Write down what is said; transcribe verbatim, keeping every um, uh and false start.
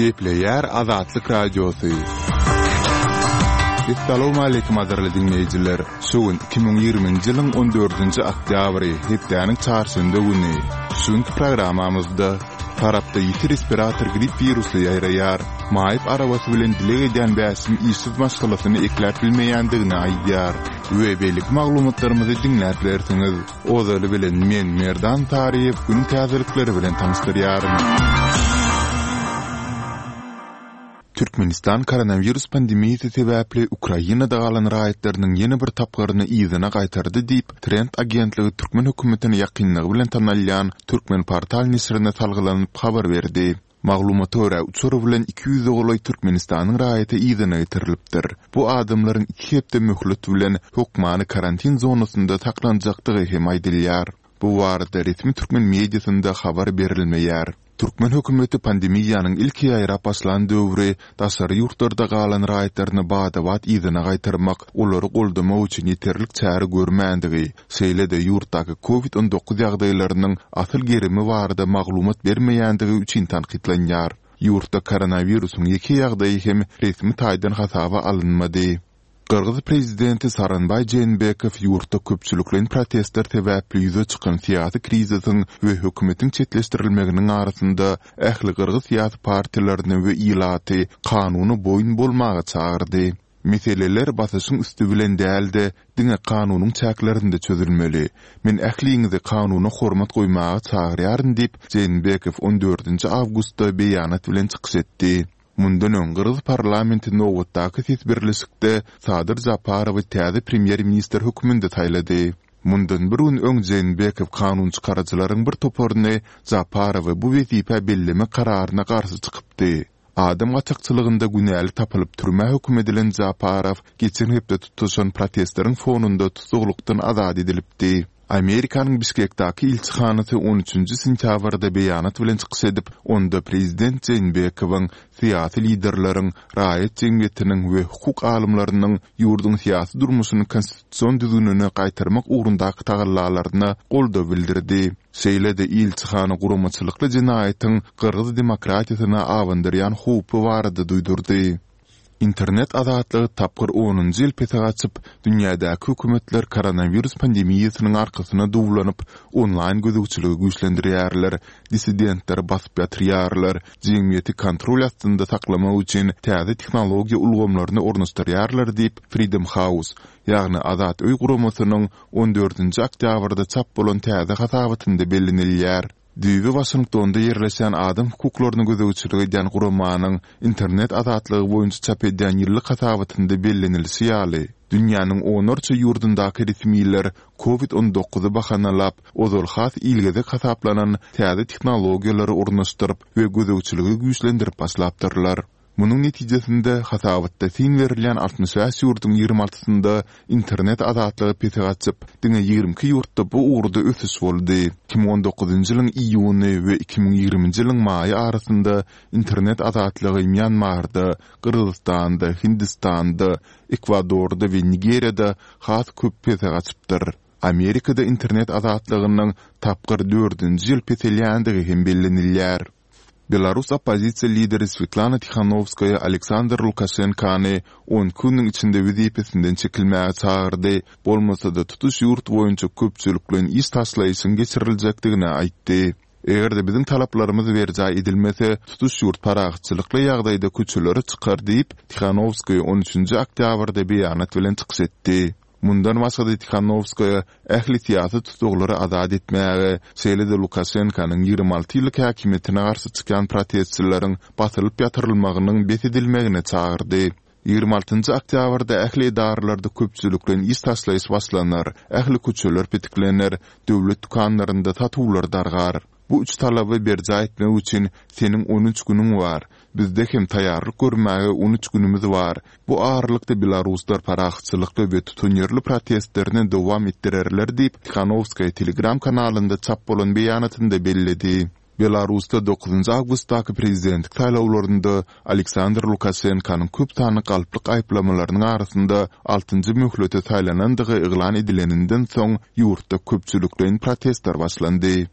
Gepleýär Azatlyk Radiosy. Essalawmaleýkim gadyrly diňleýjiler! Şu gün iki müň ýigriminji ýylyň on dördünji oktýabry, hepdäniň çarşenbe güni. Şu günki programmamyzda Farapda ýiti respirator grip wirusy ýaýraýar. Maýyp arabasy bilen dileg edýän Bäşim işsiz maşgalasyny ekläp bilmeýändigini aýdýar we beýleki maglumatlarymyzy diňläp bilersiňiz. Ozaly bilen men Merdan Taryýew günüň täzelikleri bilen tanyşdyrýaryn. Türkmenistan koronawirus pandemiýasy sebäpli Ukrainada galan raýatlarynyň ýene bir tapgyryny yzyna gaýtardy diýip, Trend agentligi türkmen hökümetine ýakynlygy bilen tanalýan Turkmenportal neşirine salgylanyp habar berdi. Maglumata görä, uçar bilen iki ýüze golaý Türkmenistanyň raýaty yzyna getirilipdir. Bu adamlaryň iki hepde möhlet bilen hökmany karantin zonasynda saklanjakdygy hem aýdylýar. Bu barada resmi türkmen mediasynda habar berilmeýär. Türkmen hökümeti pandemiýanyň ilki ýaýrap başlan döwri daşary ýurtlarda galan raýatlaryny bada-bat yzyna gaýtarmak, olary goldamak üçin ýeterlik çäre görmändigi, şeýle-de ýurtdaky Covid on dokuz ýagdaýlarynyň asyl gerimi barada maglumat bermeýändigi üçin tankytlanýar. Ýurtda koronawirusyň ýeke ýagdaýy hem resmi taýdan hasaba alynmady. Gyrgyz prezidenti Sooronbaý Jeenbekow ýurtda köpçülikleýin protestler sebäpli ýüze çykan syýasy krizisiň we hökümetiň çetleşdirilmeginiň arasynda ähli gyrgyz syýasy partiýalaryny we ilaty kanuna boýun bolmaga çagyrdy. Meseleler basyşyň üsti bilen däl-de, diňe kanunyň çäklerinde çözülmeli. Men ähliňizi kanuna hormat goýmaga çagyrýaryn diýip, Jeenbekow on dördünji awgustda beýanat bilen çykyş etdi. Mundan öň gyrgyz parlamenti nobatdaky ses berlişikde Sadyr Japarowy täze premýer-ministr hökmünde saýlady. Mundan bir gün öň Jeenbekow kanunçykaryjylaryň bir toparyny Japarowy bu wezipä bellemek kararyna garşy çykypdy. Adam gaçakçylygynda günäli tapylyp türmä höküm edilen Japarow geçen hepde tutuşan protestleriň fonunda tussaglykdan azat edilipdi. Amerikanyň Bişkekdäki ilçihanasy on üçünji sentýabrda beýanat bilen çykyş edip, onda prezident Jeenbekowyň, syýasy liderleriň, raýat jemgyýetiniň we hukuk alymlarynyň ýurduň syýasy durmuşyny konstitusion düzgünine gaýtarmak ugrundaky tagallalaryna goldaw bildirdi. Şeýle-de ilçihana guramaçylykly jenaýatyň gyrgyz demokratiýasyna abandyrýan howpy barada duýdurdy. Internet azatlygy tapgyr onunjy ýyl pese gaçyp, dünýädäki hökümetler koronawirus pandemiýasynyň arkasyna duwlanyp, onlaýn gözegçiligi güýçlendirýärler, dissidentleri basyp ýatyrýarlar, jemgyýeti kontrol astynda saklamak üçin täze tehnologiýa ulgamlaryny ornaşdyrýarlar diýip, Freedom House, ýagny Azat öý guramasynyň on dördünji oktýabrda çap bolan täze hasabatynda bellenilýär. Düýbi Waşingtonda ýerleşýän adam hukuklaryna gözegçilik edýän guramanyň internet azatlygy boýunça çap edýän ýyllyk hasabatynda bellenilişi ýaly, dünýäniň onlarça ýurdundaky resmiler Covid on dokuzy bahanalap, ozal has ilgezek hasaplanan täze tehnologiýalary ornaşdyryp we gözegçiligi güýçlendirip başlapdyrlar. Munuň netijesinde, hasabatda syn berilýän altmyş bäş ýurduň ýigrimi altysynda internet azatlygy pese gaçyp, diňe ýigrimi iki ýurtda bu ugurda ösüş boldy. Iki müň on dokuzynjy ýylyň iýuny we iki müň ýigriminji ýylyň maýy arasynda internet azatlygy Mýanmarda, Gyrgyzystanda, Hindistanda, Ekwadorda we Nigeriýada has köp pese gaçypdyr. Amerikada internet azatlygynyň tapgyr dördünji ýyl peselýändigi hem bellenilýär. Belarus oppozisiýa lideri Swetlana Tihanowskaýa Aleksandr Lukaşenkany on iki günüň içinde wezipesinden çekilmäge çagyrdy, bolmasa-da tutuş ýurt boýunça köpçülikleýin iş taşlaýyşyň geçiriljekdigini aýtdy. Eger-de biziň talaplarymyz berjaý edilmese, tutuş ýurt parahatçylykly ýagdaýda köçelere çykar diýip, Tihanowskaýa on üçünji oktýabrda beýanat bilen çykyş etdi. Mundan başga-da Tihanowskaýa ähli syýasy tussaglary azat etmäge, şeýle-de Lukaşenkanyň ýigrimi alty ýyllyk häkimiýetine garşy çykýan protestçileriň basylyp ýatyrylmagynyň bes edilmegine çagyrdy. Ýigrimi altynjy oktýabrda ähli edaralarda köpçülikleýin iş taşlaýyş başlanar, ähli köçeler petiklener, döwlet dükanlarynda satuwlar dargar. Bu üç talaby berjaý etmek üçin seniň on üç günüň bar. Bizde hem taýýarlyk görmäge on üç günümiz bar. Bu aralykda belaruslar parahatçylykly we tutanýerli protestlerini dowam etdirerler diýip, Tihanowskaýa Telegram kanalynda çap bolan beýanatynda belledi. Belarusda dokuzynjy awgustdaky prezidentlik saýlawlarynda Aleksandr Lukaşenkanyň köp sanly galplyk aýyplamalarynyň arasynda altynjy möhlete saýlanandygy yglan edileninden soň ýurtda köpçülikleýin protestler başlandy.